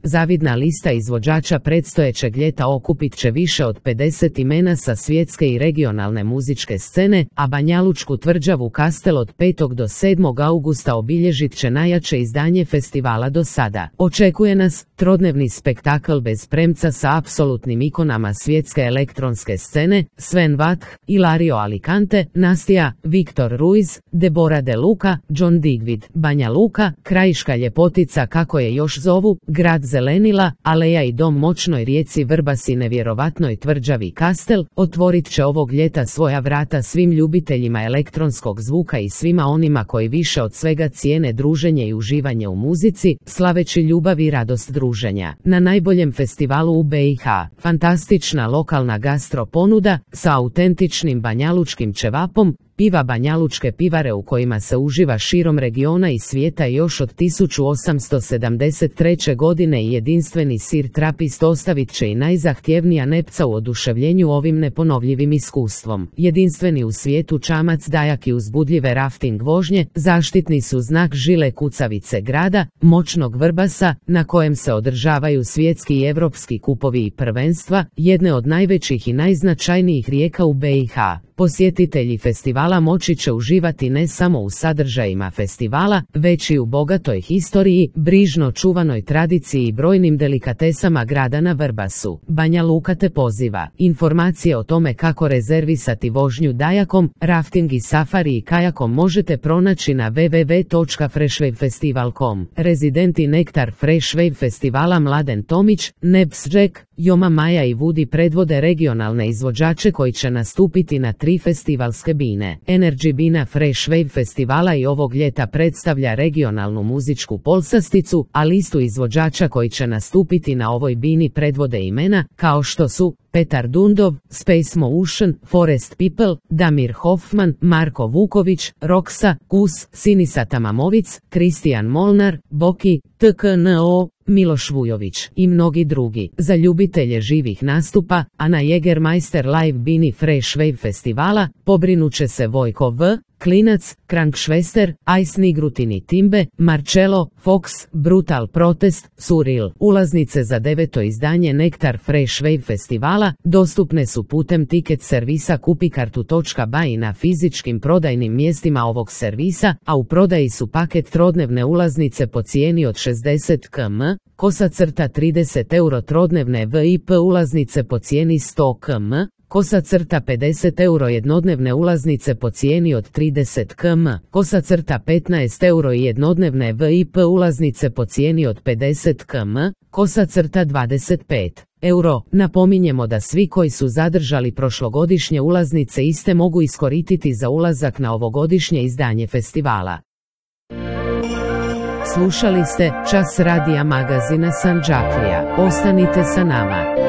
Zavidna lista izvođača predstojećeg ljeta okupit će više od 50 imena sa svjetske i regionalne muzičke scene, a Banjalučku tvrđavu Kastel od 5. do 7. augusta obilježit će najjače izdanje festivala do sada. Očekuje nas trodnevni spektakl bez premca sa apsolutnim ikonama svjetske elektronske scene, Sven Vath, Ilario Alicante, Nastija, Viktor Ruiz, Deborah De Luca, John Digweed. Banja Luka, krajiška ljepotica kako je još zovu, grad zelenila, aleja i dom moćnoj rijeci Vrbas i nevjerovatnoj tvrđavi Kastel, otvorit će ovog ljeta svoja vrata svim ljubiteljima elektronskog zvuka i svima onima koji više od svega cijene druženje i uživanje u muzici, slaveći ljubav i radost druženja. Na najboljem festivalu u BiH, fantastična lokalna gastro ponuda sa autentičnim banjalučkim ćevapom, piva Banjalučke pivare u kojima se uživa širom regiona i svijeta još od 1873. godine i jedinstveni sir Trapist ostavit će i najzahtjevnija nepca u oduševljenju ovim neponovljivim iskustvom. Jedinstveni u svijetu čamac Dajak i uzbudljive rafting vožnje zaštitni su znak žile kucavice grada, moćnog Vrbasa, na kojem se održavaju svjetski i europski kupovi i prvenstva, jedne od najvećih i najznačajnijih rijeka u BiH. Posjetitelji festivala moći će uživati ne samo u sadržajima festivala, već i u bogatoj historiji, brižno čuvanoj tradiciji i brojnim delikatesama grada na Vrbasu. Banja Luka te poziva. Informacije o tome kako rezervisati vožnju Dajakom, rafting i safari i kajakom možete pronaći na www.freshwavefestival.com. Rezidenti Nektar Fresh Wave festivala Mladen Tomić, Nebs Jack, Joma Maja i Woody predvode regionalne izvođače koji će nastupiti na 3 festivalske bine. Energy bina Fresh Wave festivala i ovog ljeta predstavlja regionalnu muzičku polsasticu, a listu izvođača koji će nastupiti na ovoj bini predvode imena, kao što su Petar Dundov, Space Motion, Forest People, Damir Hoffman, Marko Vuković, Roksa, Kus, Sinisa Tamamovic, Kristijan Molnar, Boki, TKNO, Miloš Vujović i mnogi drugi. Za ljubitelje živih nastupa, a na Jägermeister Live bini Fresh Wave festivala pobrinut će se Vojko V, Klinac, Krankšvester, Ice Nigrutini Timbe, Marcello, Fox, Brutal Protest, Surreal. Ulaznice za 9. izdanje Nektar Fresh Wave festivala dostupne su putem tiket servisa kupikartu.by na fizičkim prodajnim mjestima ovog servisa, a u prodaji su paket trodnevne ulaznice po cijeni od 60 km, =30 euro trodnevne VIP ulaznice po cijeni 100 km, =50 euro jednodnevne ulaznice po cijeni od 30 km, =15 euro i jednodnevne VIP ulaznice po cijeni od 50 km, =25 euro. Napominjemo da svi koji su zadržali prošlogodišnje ulaznice iste mogu iskoristiti za ulazak na ovogodišnje izdanje festivala. Slušali ste Čas radija magazina Sandžaklija. Ostanite sa nama.